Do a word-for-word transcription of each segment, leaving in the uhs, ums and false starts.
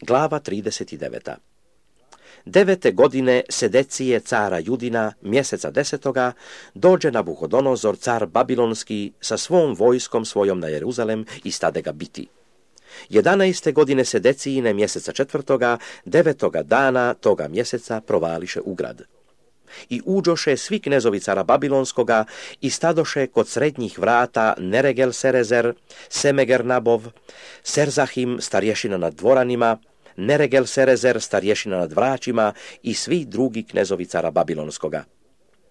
Glava trideset devet. Devete godine Sedecije cara Judina, mjeseca desetoga, dođe Nabuhodonozor, car Babilonski, sa svom vojskom svojom na Jeruzalem i stade ga biti. Jedanaeste godine Sedecijine, mjeseca četvrtoga, devetoga dana toga mjeseca provališe u grad. I uđoše svi knezovi cara Babilonskoga i stadoše kod srednjih vrata Neregel Serezer, Semeger Nabov, Serzahim, starješina nad dvoranima, Neregel Serezer, starješina nad vraćima i svi drugi knezovi cara Babilonskoga.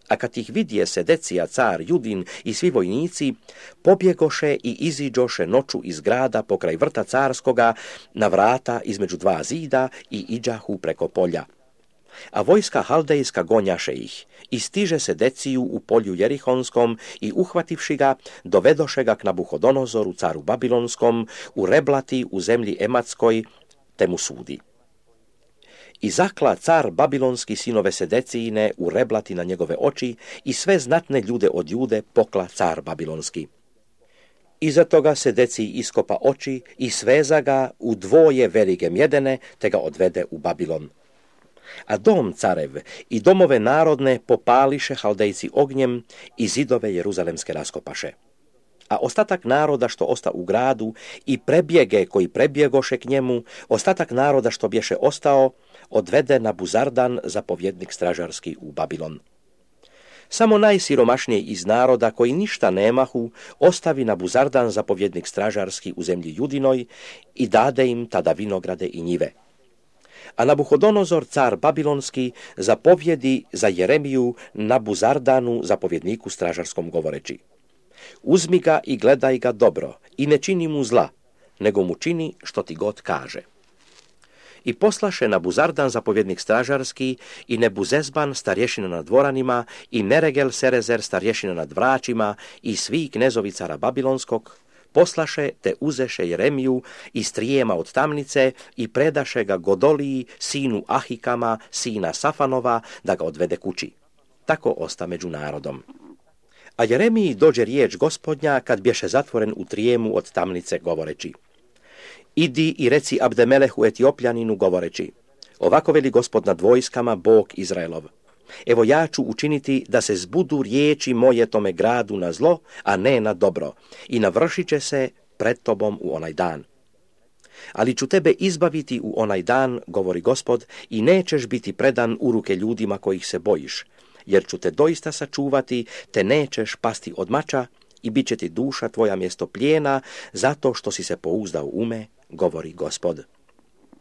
A kad ih vidje Sedecija, car Judin i svi vojnici, pobjegoše i iziđoše noću iz grada pokraj vrta carskoga na vrata između dva zida i iđahu preko polja. A vojska haldejska gonjaše ih i stiže Sedeciju u polju Jerihonskom i uhvativši ga, dovedoše ga k Nabuhodonozoru, caru Babilonskom, u Reblati u zemlji Ematskoj, te mu sudi. I zakla car Babilonski sinove Sedecijine u Reblati na njegove oči i sve znatne ljude od Jude pokla car Babilonski. Iza toga Sedeciji iskopa oči i sveza ga u dvoje velike mjedene, te ga odvede u Babilon. A dom carev i domove narodne popališe haldejci ognjem i zidove jeruzalemske raskopaše. A ostatak naroda što osta u gradu i prebjege koji prebjegoše k njemu, ostatak naroda što bješe ostao, odvede Nabuzardan, zapovjednik stražarski, u Babilon. Samo najsiromašniji iz naroda koji ništa nemahu, ostavi Nabuzardan, zapovjednik stražarski, u zemlji Judinoj i dade im tada vinograde i njive. A Nabuhodonozor, car Babilonski, zapovjedi za Jeremiju Nabuzardanu, zapovjedniku stražarskom, govoreći: uzmi ga i gledaj ga dobro i ne čini mu zla, nego mu čini što ti god kaže. I poslaše Nabuzardan, zapovjednik stražarski, i Nebuzezban, starješina nad dvoranima, i Neregel Serezer, starješina nad vraćima, i svi knezovi cara Babilonskog, poslaše te uzeše Jeremiju i strijema od tamnice i predaše ga Godoliji, sinu Ahikama, sina Safanova, da ga odvede kući. Tako osta među narodom. A Jeremiji dođe riječ Gospodnja kad bješe zatvoren u trijemu od tamnice, govoreći: idi i reci Abdemelehu Etiopljaninu, govoreći: ovako veli Gospod nad vojskama, Bog Izraelov: evo ja ću učiniti da se zbudu riječi moje tome gradu na zlo, a ne na dobro, i navršit će se pred tobom u onaj dan. Ali ću tebe izbaviti u onaj dan, govori Gospod, i nećeš biti predan u ruke ljudima kojih se bojiš, jer ću te doista sačuvati, te nećeš pasti od mača i bit će ti duša tvoja mjesto plijena, zato što si se pouzdao u me, govori Gospod.